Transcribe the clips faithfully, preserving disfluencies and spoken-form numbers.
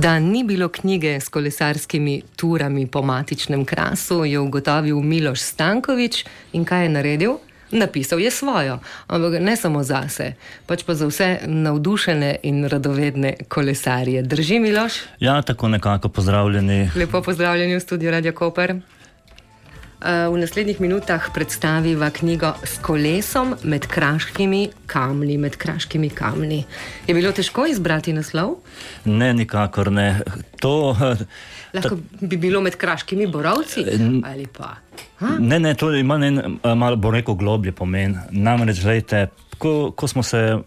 Da ni bilo knjige s kolesarskimi turami po matičnem Krasu, je ugotovil Miloš Stanković in kaj je naredil? Napisal je svojo, ampak ne samo zase, pač pa za vse navdušene in radovedne kolesarje. Drži, Miloš? Ja, tako nekako pozdravljeni. Lepo pozdravljeni v studiu Radio Koper. V naslednjih minutah predstaviva knjigo S kolesom med kraškimi kamni, med kraškimi kamni. Je bilo težko izbrati naslov? Ne, nikakor ne. To... Lahko bi bilo med kraškimi borovci? Ali pa... Ha? Ne, ne, to ima ne, malo bo rekel globlje pomen. Namreč, gledajte, ko, ko smo se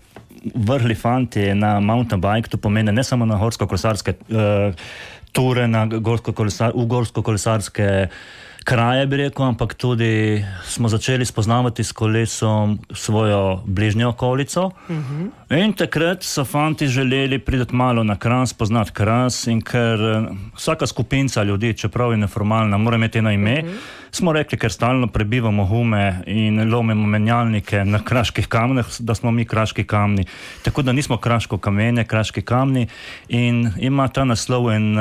vrhli fanti na mountain bike, to pomeni ne samo na gorsko-kolesarske uh, ture, na gorsko-kolesar, v gorsko-kolesarske kraje, bi rekel, ampak tudi smo začeli spoznavati s kolesom svojo bližnjo okolico. Uh-huh. In takrat so fanti želeli priti malo na Kras, poznati Kras, in ker vsaka skupinca ljudi, čeprav je neformalna, mora imeti eno ime, uh-huh. smo rekli, ker stalno prebivamo hume in lomimo menjalnike na kraških kamneh, da smo mi kraški kamni. Tako da nismo kraško kamenje, kraški kamni, in ima ta naslov in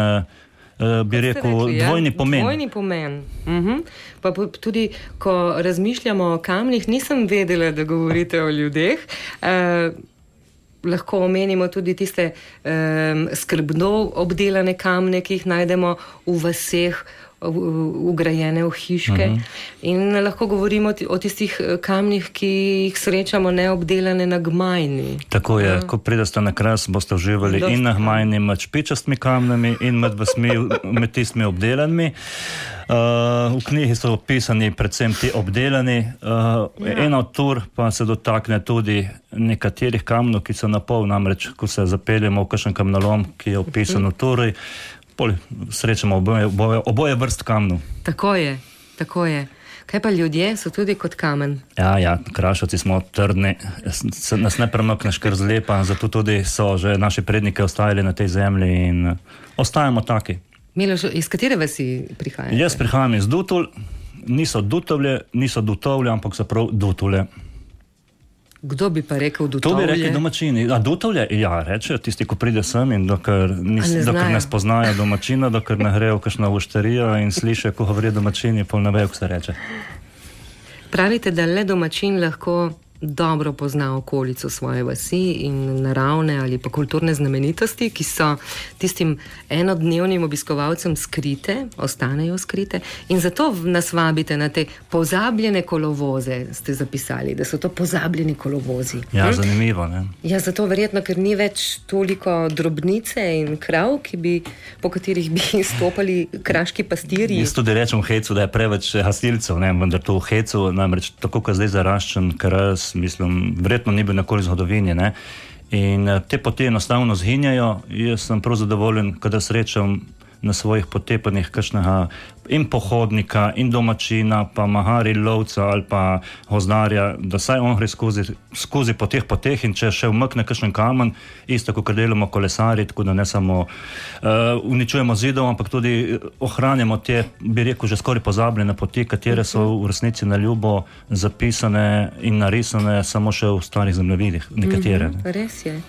Uh, bi rekel, rekli, dvojni ja? pomen. Dvojni pomen. Uh-huh. Pa tudi, ko razmišljamo o kamnih, nisem vedela, da govorite o ljudeh. Uh, lahko omenimo tudi tiste um, skrbno obdelane kamne, ki jih najdemo v vaseh, ugrajene v hiške. Uh-huh. In lahko govorimo o tistih kamnih, ki jih srečamo neobdelane na gmajni. Tako je, uh. ko pridete na Kras, boste uživali Dost in na gmajni med špičastmi kamnami in med, vasmi, med tistimi obdelanimi. Uh, v knjigi so opisani predvsem ti obdelani. Uh, ja. Ena od tur pa se dotakne tudi nekaterih kamnov, ki so na pol, namreč, ko se zapeljemo v kakšen kamnolom, ki je opisan v turi, srečamo oboje, oboje, oboje vrst kamnov. Tako je, tako je. Kaj pa ljudje so tudi kot kamen? Ja, ja, Krašovci smo trdni, nas ne premakneš kar zlepa, zato tudi so že naši predniki ostajali na tej zemlji in ostajamo taki. Miloš, iz katere vasi prihajate? Jaz prihajam iz Dutulj, niso Dutovlje, niso Dutovlje, ampak so prav Dutulje. Kdo bi pa rekel Dutovlje? To bi rekli domačini. A Dutovlje? Ja, reče, tisti, ko pride sem in dokler, nis, ne, dokler ne spoznajo domačina, dokler ne grejo kakšna vošterija in sliše, ko govori domačini, pol ne vejo, ko se reče. Pravite, da le domačin lahko dobro pozna okolico svoje vasi in naravne ali pa kulturne znamenitosti, ki so tistim enodnevnim obiskovalcem skrite, ostanejo skrite, in zato nas vabite na te pozabljene kolovoze, ste zapisali, da so to pozabljeni kolovozi. Ja, hm? Zanimivo, ne? Ja, zato verjetno, ker ni več toliko drobnice in krav, ki bi, po katerih bi stopali kraški pastirji. Jaz tudi rečem v Hecu, da je preveč hastilcev, ne, vendar to v Hecu, namreč tako, ko zdaj zaraščen Kras, mislim, verjetno ni bil nikoli zgodovini, ne? In te poti enostavno zhinjajo. Jaz sem prav zadovoljen, kada srečam na svojih potepanjih kakšnega in pohodnika, in domačina, pa mahari lovca ali pa gozdnarja, da saj on gre skozi, skozi po teh poteh in če še umkne kakšen kamen, isto, kot delamo kolesari, tako da ne samo uh, uničujemo zidov, ampak tudi ohranjamo te, bi rekel, že skoraj pozabljene poti, katere so v resnici na ljubo zapisane in narisane samo še v starih zemljevidih, nekatere. Mm-hmm, res je.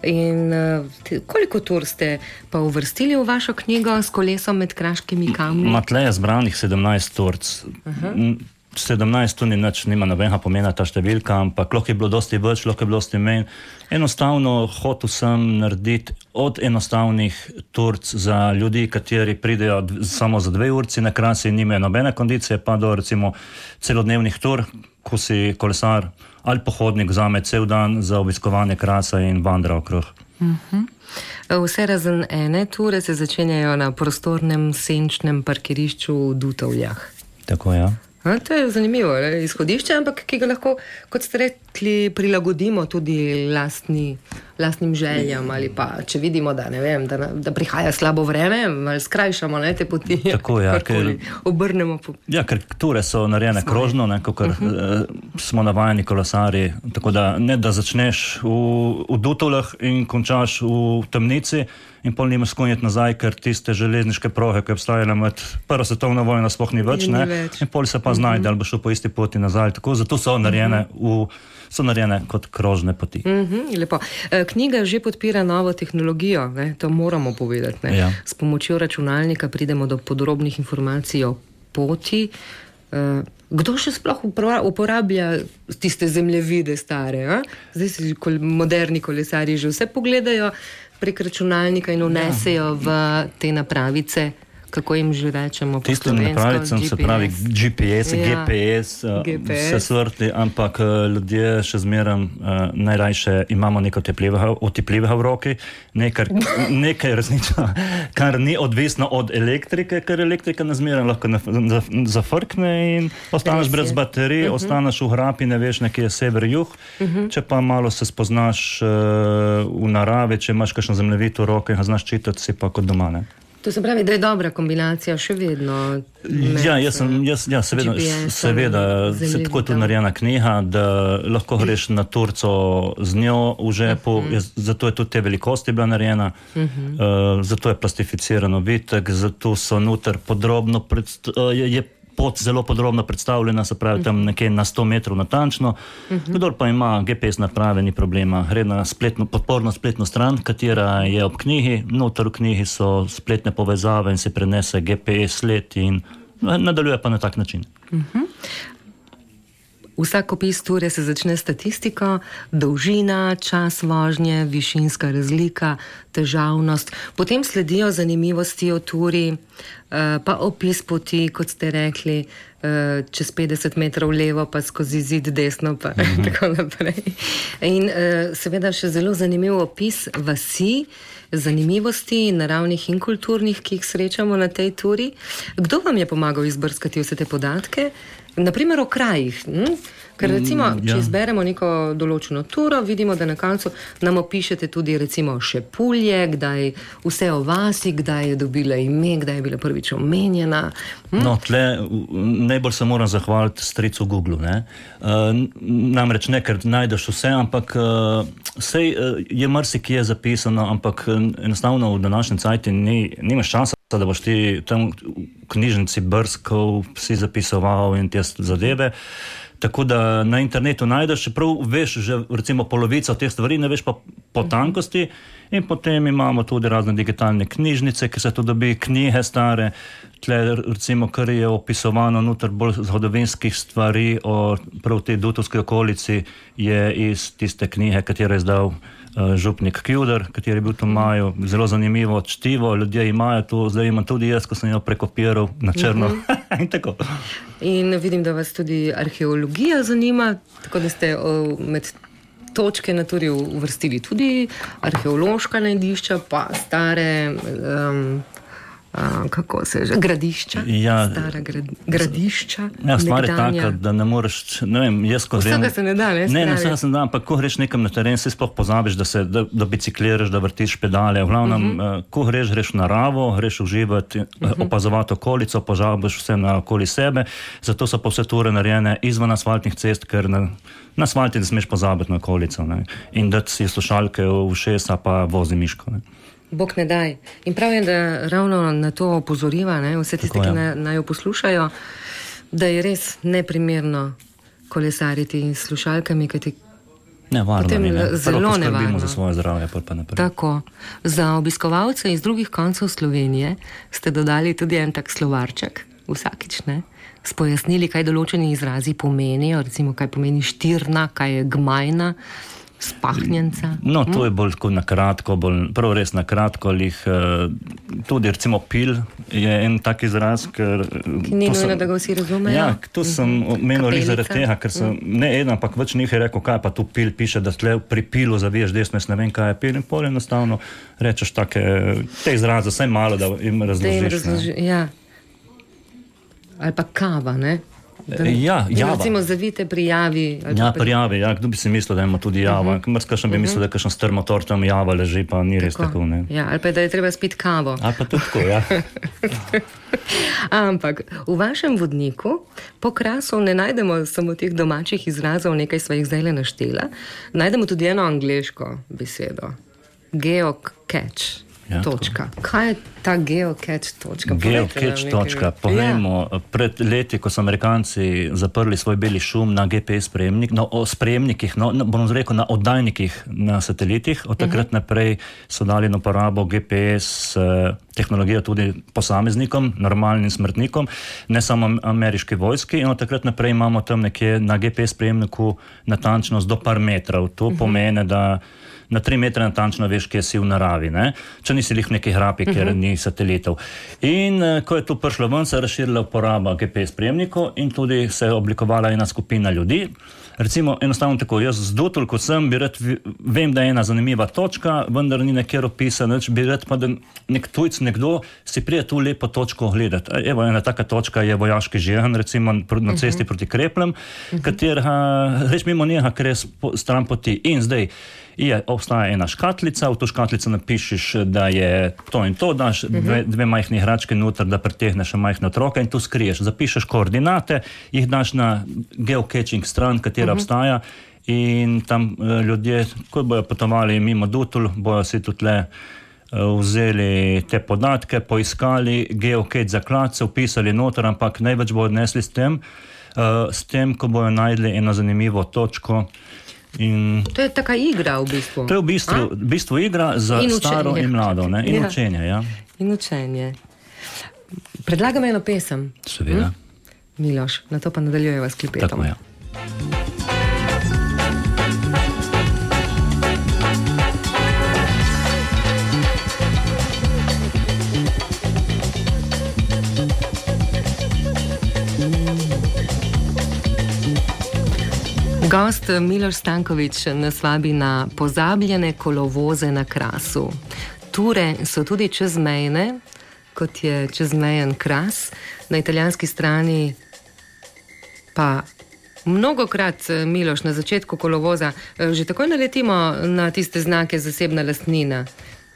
In uh, te, koliko tur ste pa uvrstili v vašo knjigo S kolesom med kraškimi kamni? Matle je zbranih sedemnajst turc. Uh-huh. sedemnajst tu ni nič, nima nobenega pomena ta številka, ampak lahko je bilo dosti več, lahko je bilo dosti manj. Enostavno hotel sem narediti od enostavnih turc za ljudi, kateri pridejo samo za dve urci na Kras in nimajo nobene kondicije, pa do recimo celodnevnih tur, ko si kolesar ali pohodnik vzame cel dan za obiskovanje Krasa in vandra okrog. Uh-huh. Vse razen ene ture se začenjajo na prostornem senčnem parkirišču v Dutovljah. Tako, ja. A, to je zanimivo, ne? Izhodišče, ampak ki ga lahko, kot ste rekli, prilagodimo tudi lastni, lastnim željam ali pa, če vidimo, da, ne vem, da, da prihaja slabo vreme, ali skrajšamo, ne, te poti. Tako, ja, ker, obrnemo. Po... Ja, ker ture so narejene Svoje. krožno, ne, kot uh-huh. uh, smo navajeni kolesari, tako da ne, da začneš v, v Dutovljah in končaš v Temnici in pol nimaš skonjeti nazaj, ker tiste železniške prohe, ki obstajajo med prvo svetovno vojno, sploh ni več, ne? več. In pol se pa znajde, ali bo šel po isti poti nazaj. Tako, zato so narejene, v, so narejene kot krožne poti. Mm-hmm, lepo. Knjiga že podpira novo tehnologijo, ne? To moramo povedati. Ne? Ja. S pomočjo računalnika pridemo do podrobnih informacij o poti. Kdo še sploh uporablja tiste zemljevide stare? A? Zdaj si kol, moderni kolesarji že vse pogledajo prek računalnika in vnesejo v te napravice, kako jim že rečemo po Tisto slovensko, napravicam G P S. se pravi G P S, Ja. G P S, G P S. vse svrti, ampak ljudje še zmeram uh, najrajše imamo nekaj otepljivega v roki, nekaj, nekaj resnično, kar ni odvisno od elektrike, ker elektrika na zmeram lahko zafrkne in ostaneš brez baterij, uh-huh. ostaneš v hrapi, ne veš, nekje je sever-juh, uh-huh. če pa malo se spoznaš uh, v naravi, če imaš kakšno zemljevid v roki in ga znaš čitati, si pa kot doma, ne? To se pravi, da je dobra kombinacija še vedno. Ja, jaz sem, jaz, ja, seveda, seveda se tako je tudi narejena knjiga, da lahko greš na Turco z njo v žepu, uh-huh. jaz, zato je tudi te velikosti bila narejena, uh-huh. uh, zato je plastificirano vitek, zato so noter podrobno, predst, uh, je, je pot zelo podrobno predstavljena, se pravi tam nekje na sto metrov natančno. Uh-huh. Kdor pa ima G P S naprave, ni problema. Gre na spletno, podporno spletno stran, katera je ob knjigi. Noter v knjigi so spletne povezave in se prenese G P S sled in nadaljuje pa na tak način. Uh-huh. Vsak opis ture se začne statistiko, dolžina, čas vožnje, višinska razlika, težavnost. Potem sledijo zanimivosti o turi, pa opis poti, kot ste rekli, čez petdeset metrov levo, pa skozi zid desno, pa mm-hmm. tako naprej. In seveda še zelo zanimiv opis vasi, zanimivosti, naravnih in kulturnih, ki jih srečamo na tej turi. Kdo vam je pomagal izbrskati vse te podatke? Naprimer o krajih. Hm? Ker recimo, mm, ja. če izberemo neko določeno turo, vidimo, da na koncu nam opišete tudi recimo Šepulje, kdaj vse o vasi, kdaj je dobila ime, kdaj je bila prvič omenjena. Hm? No, tle najbolj se moram zahvaliti stricu Google, ne? Uh, namreč ne, ker najdeš vse, ampak uh, sej uh, je marsikje zapisano, ampak uh, enostavno v današnjem cajti ni, nimaš časa, da boš ti tam v knjižnici brskal, si zapisoval in te zadeve. Tako da na internetu najdeš, čeprav veš že recimo polovico teh stvari, ne veš pa po tankosti. In potem imamo tudi razne digitalne knjižnice, ki se to dobi, knjige stare, tle recimo, kar je opisovano noter bolj zgodovinskih stvari o prav tej Dutovski okolici, je iz tiste knjige, katero je izdal uh, župnik Kjuder, kateri je bil to maju, zelo zanimivo čtivo, ljudje imajo to, zdaj imam tudi jaz, ko sem jo prekopiral na črno. Mm-hmm. In tako. In vidim, da vas tudi arheologija zanima, tako da ste o, med točke na turi uvrstili tudi arheološka najdišča, pa stare, um, uh, kako se že, gradišča, ja, stara grad, gradišča. Ja, stvar je taka, da ne moreš, ne vem, jaz ko grem... Vsega se ne da, ne? Ne, ne, vsega se ne da, ampak ko greš nekam na teren, si sploh pozabiš, da, se, da, da bicikliraš, da vrtiš pedale. V glavnem, uh-huh. uh, ko greš, greš v naravo, greš uživati, uh-huh. opazovati okolico, pozabiš vse na okoli sebe, zato so pa vse ture narejene izven asfaltnih cest, ker na, na asfalti ne smeš pozabiti na okolico, ne? In da si slušalke v ušesa, pa vozi miško, ne? Bog ne daj. In prav je, da ravno na to opozoriva, ne, vse tiste, ki naj, naj jo poslušajo, da je res neprimerno kolesariti s slušalkami, kaj ti ne, varno, potem ne, zelo nevarno. Za svoje zdravje, pa naprej. Tako. Za obiskovalce iz drugih koncev Slovenije ste dodali tudi en tak slovarček, vsakič, ne, s pojasnili, kaj določeni izrazi pomenijo, recimo, kaj pomeni štirna, kaj je gmajna, spahnjenca. No, to je bolj na kratko, bolj, prav res na kratko, lih, tudi recimo pil je en tak izraz, ker... Ki ni nujno, da ga vsi razumejo. Ja, to sem omenil zaradi tega, ker sem ne eden, ampak več njih je rekel, kaj pa tu pil piše, da tle pri pilu zaviješ desno, jaz ne vem, kaj je pil, in pol enostavno rečeš take, te izraze, vsaj malo, da jim razložiš. Razloži, ja. Ali pa kava, ne? Da, ja, java. Recimo zavite prijavi. Ja, prijavi, ja, kdo bi si mislil, da ima tudi java. Uh-huh. Mrskašen bi uh-huh. mislil, da je kakšen strm motor tam java leži, pa ni res tako, tako ne. Ja, ali pa da je treba spiti kavo. Ali pa tudi tako, ja. Ampak v vašem vodniku po Krasu ne najdemo samo teh domačih izrazov, nekaj sva jih zdajle naštela, najdemo tudi eno angleško besedo. Geocache. Ja, točka. Kaj je ta geocache točka? Geocache točka. Povejmo, ja. Pred leti, ko so Amerikanci zaprli svoj beli šum na G P S sprejemnik, no, o sprejemnikih, no, bom rekel, na oddajnikih na satelitih, od takrat uh-huh. naprej so dali na uporabo G P S eh, tehnologijo tudi posameznikom, normalnim smrtnikom, ne samo ameriški vojski, in od takrat naprej imamo tam nekje na G P S sprejemniku natančnost do par metrov. To uh-huh. pomeni, da na tri metre natančno veš, kje si v naravi, ne? Če nisi lih v neki hrapi, ker uh-huh. ni satelitov. In ko je to prišlo ven, se je razširila uporaba G P S sprejemnikov in tudi se je oblikovala ena skupina ljudi. Recimo, enostavno tako, jaz z Dutl, kot sem, bi rad, vem, da je ena zanimiva točka, vendar ni nekjer opisana, bi rad pa, da nek tujc, nekdo si prije tu lepo točko gledati. Evo, ena taka točka je vojaški žehan, recimo na cesti uh-huh. proti Krepljem, uh-huh. katerega, reč mimo njega, ker je stran poti. In zdaj, je, obstaja ena škatlica, v to škatlico napišeš, da je to in to, daš dve, dve majhni igračke noter, da pretehneš majhne otroke in tu skriješ. Zapišeš koordinate, jih daš na geocaching stran, katera uh-huh. obstaja, in tam uh, ljudje, ko bojo potovali mimo Dutl, bojo si tudi le uh, vzeli te podatke, poiskali geocache zaklad, se upisali noter, ampak največ bojo odnesli s tem, uh, s tem, ko bojo najdli eno zanimivo točko. In to je taka igra v bistvu. To je v bistvu, v bistvu igra za in staro in mlado, ne? In ja. učenje, ja. In učenje. Predlagam eno pesem. Seveda. Hm? Miloš, na to pa nadaljujeva s klipetom. Tako, ja. Gost Miloš Stanković nas vabi na pozabljene kolovoze na Krasu. Ture so tudi čezmejne, kot je čezmejen Kras. Na italijanski strani pa mnogokrat, Miloš, na začetku kolovoza že takoj naletimo na tiste znake zasebna lastnina.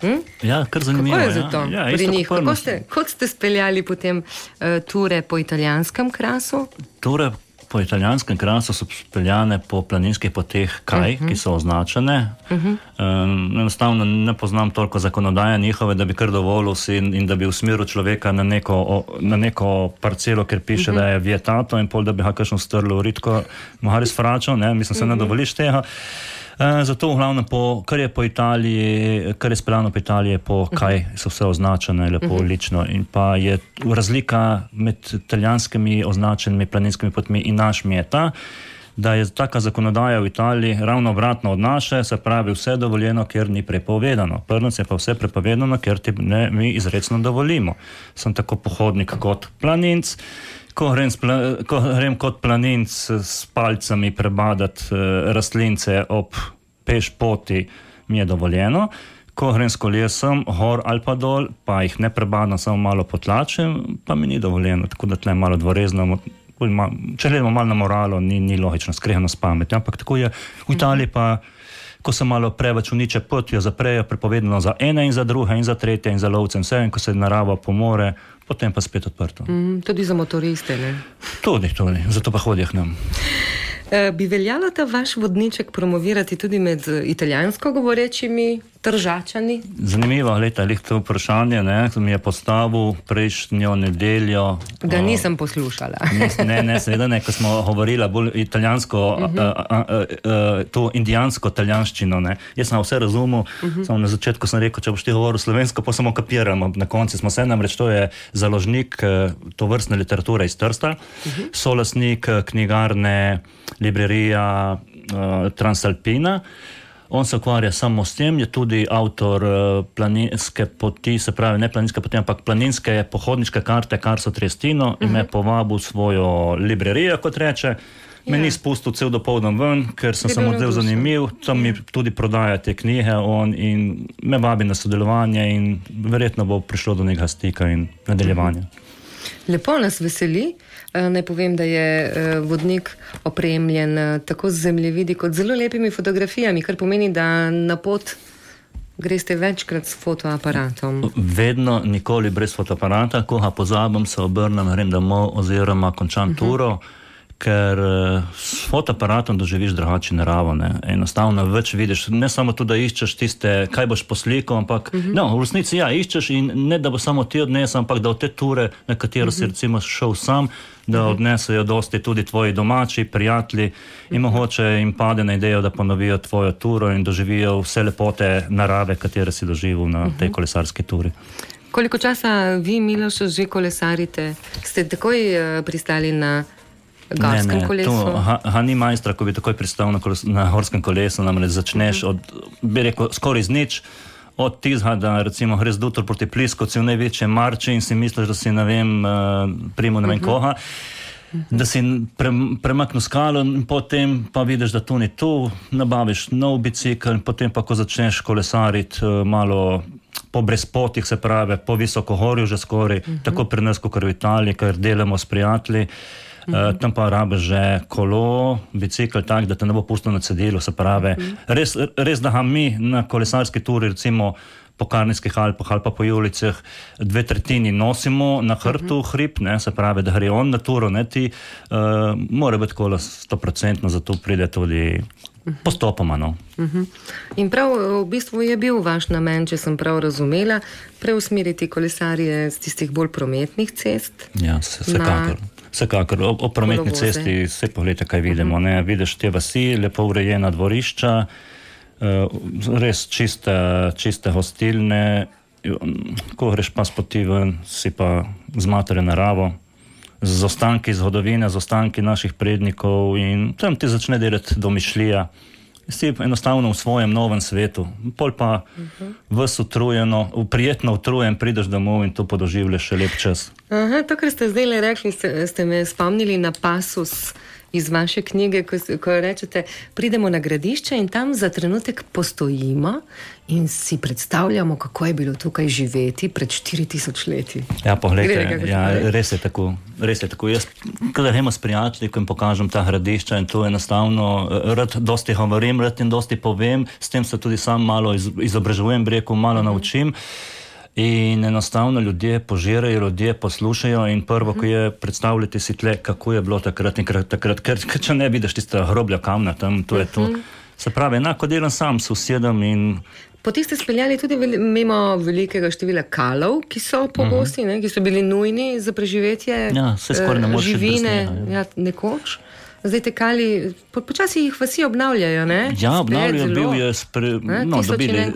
Hm? Ja, kar zanimivo. Kako je za to ja. pri ja, njih? Kako ste, kot ste speljali potem uh, ture po italijanskem Krasu? Ture po italijanskem Krasu so speljane po planinskih poteh kaj, uh-huh. ki so označene. Uh-huh. Um, enostavno ne poznam toliko zakonodaje njihove, da bi kar dovolil si in, in da bi usmeril človeka na neko, o, na neko parcelo, ker piše, uh-huh. da je vietato in pol, da bi ga kakšno strlo ritko mohali sfračal, ne, mislim, se uh-huh. ne dovoliš tega. Uh, zato v glavnem, po, kar je po Italiji, kar je speljano po Italiji, po kaj so vse označene, lepo, uh-huh. lično. In pa je razlika med italijanskimi označenimi planinskimi potmi in našimi je ta, da je taka zakonodaja v Italiji ravno obratno od naše, se pravi vse dovoljeno, ker ni prepovedano. Prvič je pa vse prepovedano, ker ti ne, mi izrecno dovolimo. Sem tako pohodnik kot planinc. Ko grem, ko grem kot planinc s palcami prebadati uh, rastlince ob peš poti, mi je dovoljeno. Ko grem s kolesom, gor ali pa dol, pa jih ne prebadam, samo malo potlačim, pa mi ni dovoljeno. Tako da tle malo dvorezno, če gledamo malo na moralo, ni, ni logično, skrehano s pamet. Ampak tako je v Italiji pa, ko se malo preveč uniče pot, jo zaprejo, prepovedano za ene in za druge in za tretje in za lovce in vse, in ko se narava pomore, potem pa spet odprto. Mm, tudi za motoriste, ne? Tudi, tudi. Zato pa hodijo k nam. E, bi veljalo ta vaš vodniček promovirati tudi med italijansko govorečimi Tržačani? Zanimivo, leta, lih to vprašanje, ne, mi je postavil prejšnjo nedeljo. Ga nisem poslušala. Ne, ne, seveda ne, ko smo govorila bolj italijansko, uh-huh. a, a, a, a, to indijansko italijanščino, ne. Jaz sem vse razumel, uh-huh. samo na začetku sem rekel, če boš ti govoril slovensko, pa samo kapiramo. Na konci smo se namreč, to je založnik to vrstne literature iz Trsta, uh-huh. solastnik knjigarne, librerija uh, Transalpina. On se ukvarja samo s tem, je tudi avtor uh, planinske poti, se pravi ne planinske poti, ampak planinske pohodniške karte Carso Triestino uh-huh. in me povabil svojo librerijo, kot reče. Me yeah. ni spustil cel dopoldan ven, ker sem se mu zdel zanimiv, tam mi tudi prodaja te knjige on in me vabi na sodelovanje in verjetno bo prišlo do nekega stika in nadaljevanja. Lepo nas veseli. Naj povem, da je vodnik opremljen tako z zemljevidi kot zelo lepimi fotografijami, kar pomeni, da na pot greste večkrat s fotoaparatom. Vedno, nikoli brez fotoaparata. Ko ga pozabim, se obrnem, grem domov oziroma končam uh-huh. turo, ker s fotoaparatom doživiš drugače naravo, ne. Enostavno več vidiš, ne samo to, da iščeš tiste, kaj boš poslikal, ampak uh-huh. no, v resnici ja, iščeš in ne da bo samo ti odnesel, ampak da od te ture, na katero uh-huh. si recimo šel sam, da uh-huh. odnesejo dosti tudi tvoji domači, prijatelji uh-huh. in mogoče jim pade na idejo, da ponovijo tvojo turo in doživijo vse lepote narave, katere si doživel na uh-huh. tej kolesarski turi. Koliko časa vi, Miloš, že kolesarite? Ste takoj uh, pristali na gorskem ne, ne, kolesu? To, ha, ha ni majstra, ko bi takoj pristal na, koles, na gorskem kolesu, namreč začneš uh-huh. od, bi rekel, skoraj z nič, od tizga, da recimo greš dutor proti Pliskovci v največje marči in si misliš, da si, ne vem, uh, primo ne vem uh-huh. koga, uh-huh. da si pre, premaknil skalo in potem pa vidiš, da to ni tu, nabaviš nov bicikl in potem pa, ko začneš kolesariti uh, malo po brezpotih, se pravi, po visokohorju že skoraj, uh-huh. tako pri nas, kot v Italiji, ker delamo s prijatelji, uh-huh. uh, tam pa rabiš že kolo, bicikl tak, da te ne bo pustil na cedilu, se pravi, uh-huh. res, res, da ga mi na kolesarski turi, recimo po Karnijskih Alpah ali pa po Julicah, dve tretjini nosimo na hrtu uh-huh. hrib, ne, se pravi, da gre on na turo, ne ti, uh, mora biti kola sto procentno, zato pride tudi postopoma, no. Uh-huh. In prav v bistvu je bil vaš namen, če sem prav razumela, preusmeriti kolesarje z tistih bolj prometnih cest? Ja, vsekakor. Vsekakor. O, o prometni kolovoze. Cesti vse pogledajte, kaj vidimo. Uh-huh. Ne? Vidiš te vasi, lepo urejena dvorišča, uh, res čiste, čiste hostilne, ko greš pa spoti ven, si pa zmatere naravo, z ostanki zgodovine, z ostanki naših prednikov in tam ti začne delati domišljija. Si enostavno v svojem novem svetu. Pol pa uh-huh. ves utrujeno, prijetno utrujen, prideš domov in to podoživljaš še lep čas. Aha, to, kar ste zdaj rekli, ste, ste me spomnili na pasus iz vaše knjige, ko, ko rečete, pridemo na gradišče in tam za trenutek postojimo in si predstavljamo, kako je bilo tukaj živeti pred štiri tisoč leti. Ja, pogledajte, ja, res je tako. Res je tako. Jaz, kada gremo s prijatelji, ko jim pokažem ta gradišča in to enostavno, rad dosti govorim, rad in dosti povem, s tem se tudi sam malo iz, izobražujem, bi rekel, malo uh-huh. naučim. In enostavno ljudje požirajo, ljudje poslušajo in prvo, ko je predstavljati si tle, kako je bilo takrat in takrat, ker če ne vidiš tista hroblja kamna tam, to je to. Se pravi, enako delam sam, sosedom in... Potem ste speljali tudi veli, mimo velikega števila kalov, ki so pogosti, uh-huh. ne, ki so bili nujni za preživetje ja, uh, živine, ja. Ja, nekoč. Zdaj te kali, po, počasi jih vasi obnavljajo, ne? Ja, obnavljajo, bil je spre... No, dobili,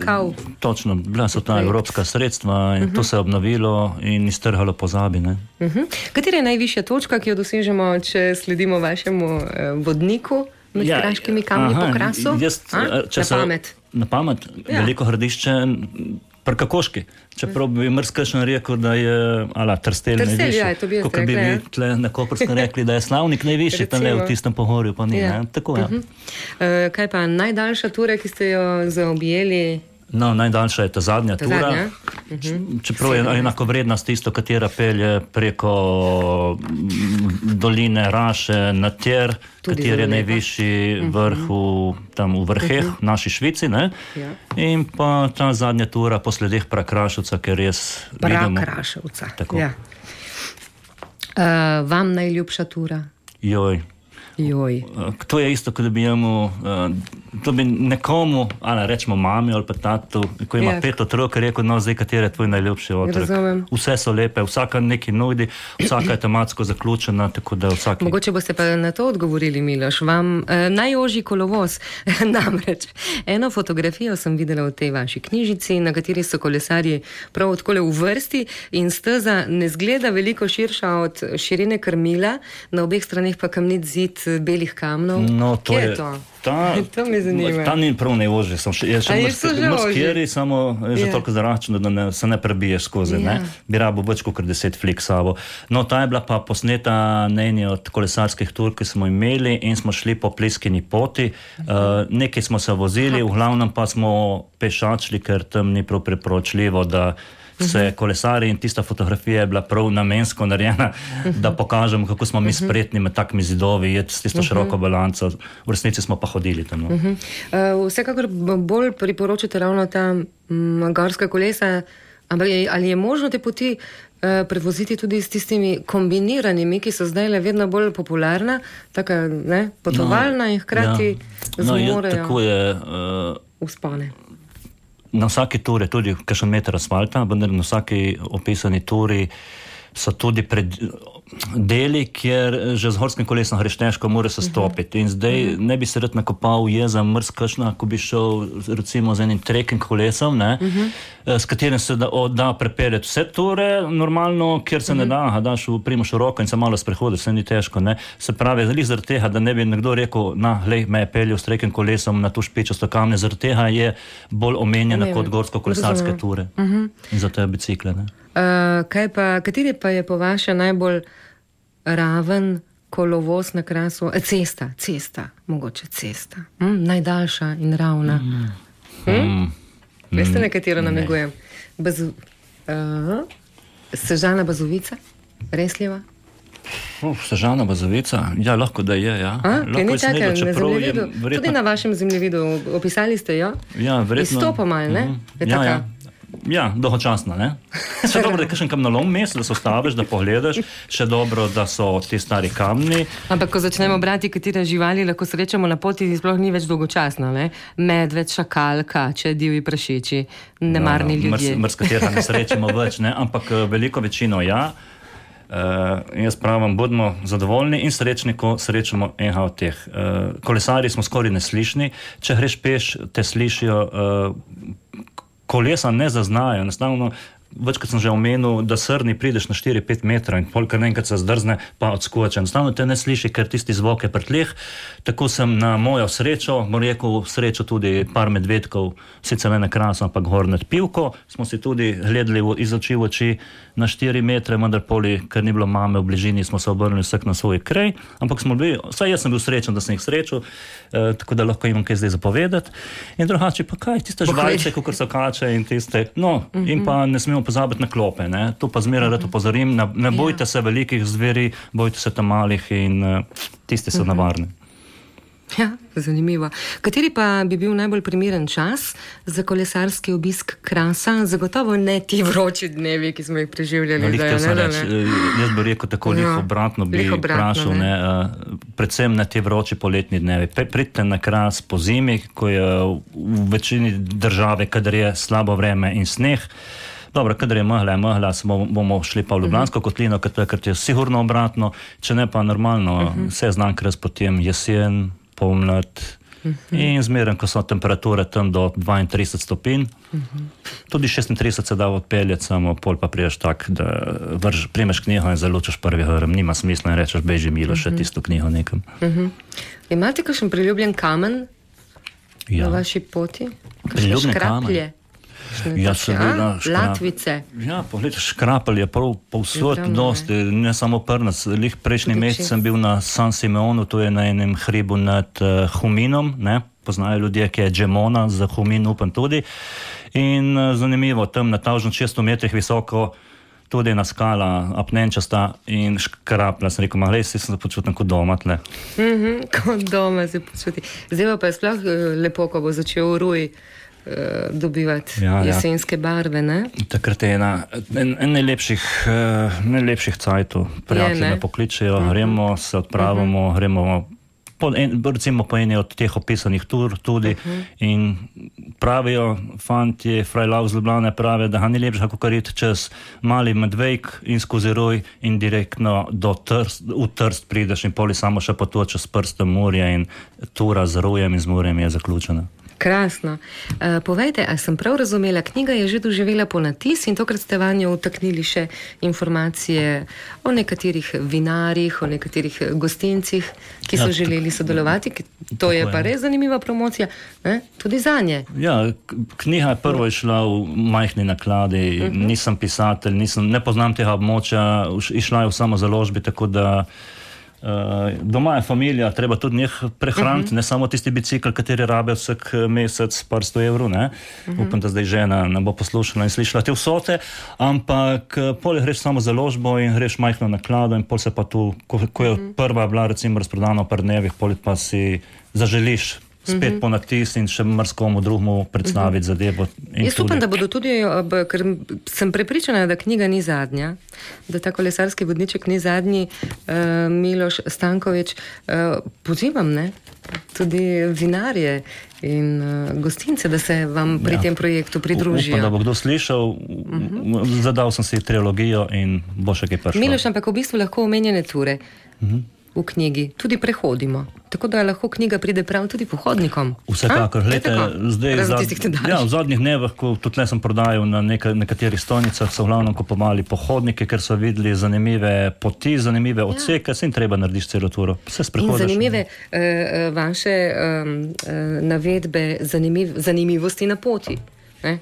točno, bila so ta evropska sredstva in uh-huh. to se je obnovilo in iztrhalo pozabi, ne? Uh-huh. Katera je najvišja točka, ki jo dosežemo, če sledimo vašemu eh, vodniku med ja, kraškimi kamni aha, po Krasu? Jaz, če na se, pamet. Na pamet, ja. Veliko hradišče pri Kakoški. Čeprav bi mrskašen rekel, da je ala, Trstelj najvišji. Ja, to bi jaz rekla. Kako bi vi tle na Koperskem rekli, da je Slavnik najvišji, tam le v tistem pohorju, pa ni. Ja. Tako, ja. Uh-huh. uh, kaj pa najdaljša tura, ki ste jo zaobjeli? No, najdaljša je ta zadnja ta tura. Zadnja? Uh-huh. Čeprav je enako vrednost tisto, katera pelje preko doline Raše na Tjer, kateri je najvišji uh-huh. vrh v, tam v vrheh, uh-huh. naši Švici, ne? Ja. In pa ta zadnja tura po sledeh Prakraševca, ker res vidimo. Prakraševca, ja. Uh, vam najljubša tura? Joj. Joj. To je isto, kot da bi jemu, to bi nekomu, ali rečemo mami ali pa tatu, ko ima ja. pet otrok, rekel, no zdaj, kateri je tvoj najljubši otrok. Razumem. Vse so lepe, vsaka nekaj nudi, vsaka je tematsko zaključena, tako da vsaki... Mogoče boste pa na to odgovorili, Miloš. Vam eh, najožji kolovoz, namreč eno fotografijo sem videla v tej vaši knjižici, na kateri so kolesarji prav odkole v vrsti in steza ne zgleda veliko širša od širine krmila, na obeh straneh pa kamnit zid belih kamnov. No, to Kje je... je to? Ta, to me zanima. Ta ni prav najožji, je še mrskeri, samo je že ja. toliko zaračeno, da ne, se ne prebiješ skozi, ja. ne? Bi rabo več kot deset flik sabo. No, ta je bila pa posneta na eni od kolesarskih tur, ki smo imeli in smo šli po Pliskini poti. Uh-huh. Uh, nekaj smo se vozili, v glavnem pa smo pešačili, ker tam ni prav priporočljivo, da se kolesari in tista fotografija je bila prav namensko narejena, uh-huh. da pokažemo, kako smo mi spretni med takimi zidovi, je s tisto uh-huh. široko balanco. V resnici smo pa hodili tam. No. Uh-huh. Uh, vsekakor bolj priporočate ravno ta m, gorska kolesa Ampak je, ali je možno te poti uh, prevoziti tudi s tistimi kombiniranimi, ki so zdaj le vedno bolj popularna, taka, ne, potovalna no, in hkrati ja. no, zmorejo je, tako je, uh, uspone. Na vsaki turi tudi kakšen meter asfalta, vendar na vsaki opisani turi so tudi pred deli, kjer že z horskim kolesom greš težko, mora se stopiti. In zdaj uh-huh. ne bi se rad nakopal jeza mrzkašna, ko bi šel recimo z enim trekking kolesom, ne, uh-huh. s katerim se da, o, da prepeljati vse ture normalno, kjer se uh-huh. ne da, daš v primoš v roko in se malo sprehodi, vse ni težko. Ne. Se pravi, zali zaradi tega, da ne bi nekdo rekel, na, lej, me je peljal s trekking kolesom na tu špičasto kamne, zaradi tega je bolj omenjena Omenjen. kot gorsko-kolesarske ture. Uh-huh. In zato je bicikle. Ne. Uh, kaj pa, kateri pa je po vaše najbolj raven kolovoz na Krasu? Cesta, cesta, mogoče cesta. Mm, najdaljša in ravna. Mm. Hm? Mm. Veste, na katero namigujem? Bazu... Uh, Sežana Bazovica? Resljeva? Uh, Sežana Bazovica? Ja, lahko da je, ja. A, kaj ni čakaj, na zemljevidu? Verjetno... Tudi na vašem zemljevidu opisali ste jo? Ja, verjetno. Izstopa mal, ne? Mm-hmm. Ja, ja. Ja, dolgočasno, ne? Še dobro, da je kakšen kamnolom mest, da se ostaviš, da pogledaš, še dobro, da so ti stari kamni. Ampak, ko začnemo brati, katere živali lahko srečamo na poti, sploh ni več dolgočasno, ne? Medved, šakal, kače, divji prašiči, nemarni no, ljudje. Mrs, mrs katera ne srečamo več, ne? Ampak veliko večino ja. Uh, jaz pravim, bodimo zadovoljni in srečni, ko srečamo enega od teh. Uh, kolesarji smo skoraj neslišni, če greš peš, te slišijo... Uh, kolesa ne zaznajo, enostavno, večkrat sem že omenil, da srni prideš na štiri pet metrov in polkar enkrat se zdrzne, pa odskoče. Enostavno te ne sliši, ker tisti zvok je pri tleh. Tako sem na mojo srečo, moram rekel, srečo tudi par medvedkov, sicer ne na Krasu, ampak gor nad Pivko. Smo si tudi gledali iz oči v oči na štiri metre, vendar poli, ker ni bilo mame v bližini, smo se obrnili vsak na svoj kraj, ampak smo bili, vsaj jaz sem bil srečen, da sem jih srečal, eh, tako da lahko imam kaj zdaj zapovedati. In drugače pa kaj, tiste žvalice, kakor so kače in tiste, no, mm-hmm. in pa ne smemo pozabiti na klope, ne, to pa zmeraj mm-hmm. rad upozorim, ne, ne bojte ja. se velikih zveri, bojte se tam malih in uh, tisti so mm-hmm. navarni. Ja, zanimivo. Kateri pa bi bil najbolj primeren čas za kolesarski obisk Krasa? Zagotovo ne ti vroči dnevi, ki smo jih preživljali. No, zdaj, ne, ne, ne. Jaz bi rekel tako, lih obratno bi vprašal, ne. Ne, predvsem na ti vroči poletni dnevi. Pridite na Kras po zimi, ko je v večini države, kadar je slabo vreme in sneh. Dobro, kadar je megla, megla, bomo šli pa v Ljubljansko uh-huh. kotlino, ker je sigurno obratno, če ne pa normalno, uh-huh. vse znan Kras potem jesen, pomlad uh-huh. in zmeren, ko so temperature tam do dvaintrideset stopinj. Uh-huh. Tudi šestintrideset se da odpeljati, samo pol pa priješ tak, da vrž, primeš knjigo in zalučaš prvi hrm. Nima smisla in rečeš, beži milo, še uh-huh. tisto knjigo nekam. Uh-huh. Imate kakšen priljubljen kamen ja. na vaši poti? Priljubljen kamen? Ja, seveda, škrap... Latvice. Ja, pogled, škrapelj je prav povsod dosti, ne samo prnac. Lih prejšnji mesec sem bil na San Simeonu, to je na enem hribu nad uh, Huminom, ne, poznajo ljudje, ki je Džemona, za Humin upam tudi. In uh, zanimivo, tam na tavžno šeststo metrih visoko, tudi ena skala, apnenčasta in škraplja. Sem rekel, ma glej, si sem se počutil kot doma tle. Mm-hmm, kot doma se počuti. Zdaj pa je sploh lepo, ko bo začel Ruj dobivati ja, jesenske ja. barve, ne? Takrat je ena, en, en najlepših, uh, najlepših cajtov. Prijatelji me pokličejo, uh-huh. gremo, se odpravimo, uh-huh. gremo po, en, recimo po eni od teh opisanih tur tudi uh-huh. in pravijo fantje, frajlav z Ljubljane pravijo, da ga ni lepše, kako kar iti čez Mali Medvejk in skozi Ruj in direktno do Trst, v Trst prideš in poli samo še potočeš s prstom Murja in tura z Rujem in z Murjem je zaključena. Krasno. Uh, povejte, a sem prav razumela, knjiga je že doživela ponatis in tokrat ste vanjo vtaknili še informacije o nekaterih vinarjih, o nekaterih gostincih, ki so ja, želeli sodelovati. To je pa je. res zanimiva promocija, ne? Tudi zanje. Ja, knjiga je prvo išla v majhni nakladi, uh-huh. nisem pisatelj, nisem, ne poznam tega območja, išla je v samozaložbi, tako da Uh, doma je familija, treba tudi njih prehraniti, uh-huh. ne samo tisti bicikl, kateri rabe vsak mesec par sto evrov, ne. Uh-huh. Upam, da zdaj žena ne bo poslušala in slišala te vsote, ampak pol greš samo založbo in greš majhno naklado in pol se pa tu, ko, ko je uh-huh. prva bila recimo razprodana v par dnevih, pol pa si zaželiš spet po natis in še marskomu drugemu predstaviti zadevo. Jaz upam, da bodo tudi, ker sem prepričana, da knjiga ni zadnja, da ta kolesarski vodniček ni zadnji. Uh, Miloš Stanković, uh, pozivam, ne, tudi vinarje in uh, gostince, da se vam pri ja. tem projektu pridružijo. Upam, da bo kdo slišal, uh-huh. zadal sem si trilogijo in bo še kaj prišlo. Miloš, ampak v bistvu lahko omenjene ture uh-huh. v knjigi tudi prehodimo. Tako da lahko knjiga pride prav tudi pohodnikom. Vsekakor. Glede, zdaj, zad, ja, v zadnjih dnevih, ko tudi le sem prodajal na neka, nekaterih stojnicah, so v glavnem kupovali pohodnike, ker so videli zanimive poti, zanimive odseke, ja. se jim treba narediti celo turo. Vse sprehodiš. In zanimive uh, vaše um, uh, navedbe zanimiv, zanimivosti na poti. Ne?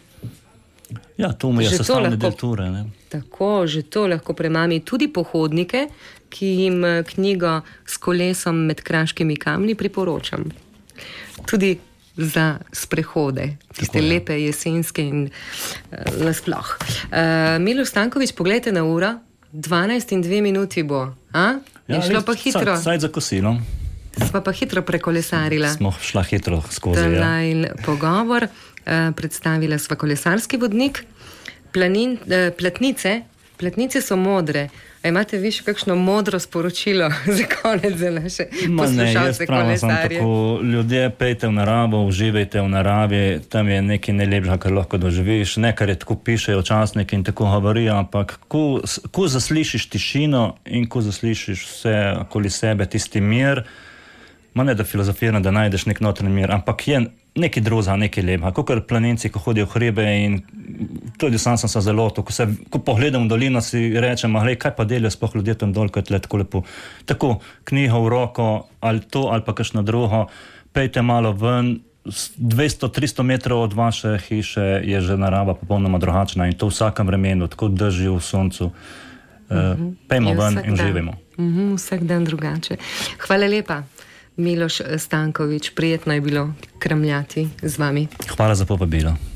Ja, to mu je sestavni del ture. Ne? Tako, že to lahko premami tudi pohodnike, ki jim knjigo S kolesom med kraškimi kamni priporočam. Tudi za sprehode, tiste Tako, lepe ja. jesenske in uh, nasploh. Uh, Miloš Stanković, pogledajte na uro, dvanajst in dve minuti bo. A? Ja, je šlo pa hitro. Saj za kosilo. Sva pa hitro prekolesarila. Smo šla hitro skozi. Ja. Pogovor, uh, predstavila sva kolesarski vodnik, planin, uh, platnice, platnice so modre. A imate vi še kakšno modro sporočilo za konec za naše poslušalce kolesarje? Tako, ljudje, pejte v naravo, uživajte v naravi, tam je nekaj najlepšega, kar lahko doživiš, nekaj je tako pišejo časniki in tako govorijo, ampak ko, ko zaslišiš tišino in ko zaslišiš vse okoli sebe, tisti mir, ma ne da filozofiram, da najdeš nek notranji mir, ampak je nekaj druga, nekaj lepega. Kakor planinci, ko hodijo v hribe in tudi sam sem se zelo, ko, se, ko pogledam v dolino, si rečem, glej, kaj pa delijo sploh ljudje tam dol, ko je tle tako lepo. Tako, knjigo v roko, ali to, ali pa kakšno drugo, pejte malo ven, dvesto tristo metrov od vaše hiše je že narava popolnoma drugačna in to v vsakem vremenu, tako drži v soncu. Uh, pejmo ven in živimo. Uh-huh, vsak dan drugače. Hvala lepa. Miloš Stanković, prijetno je bilo kramljati z vami. Hvala za povabilo.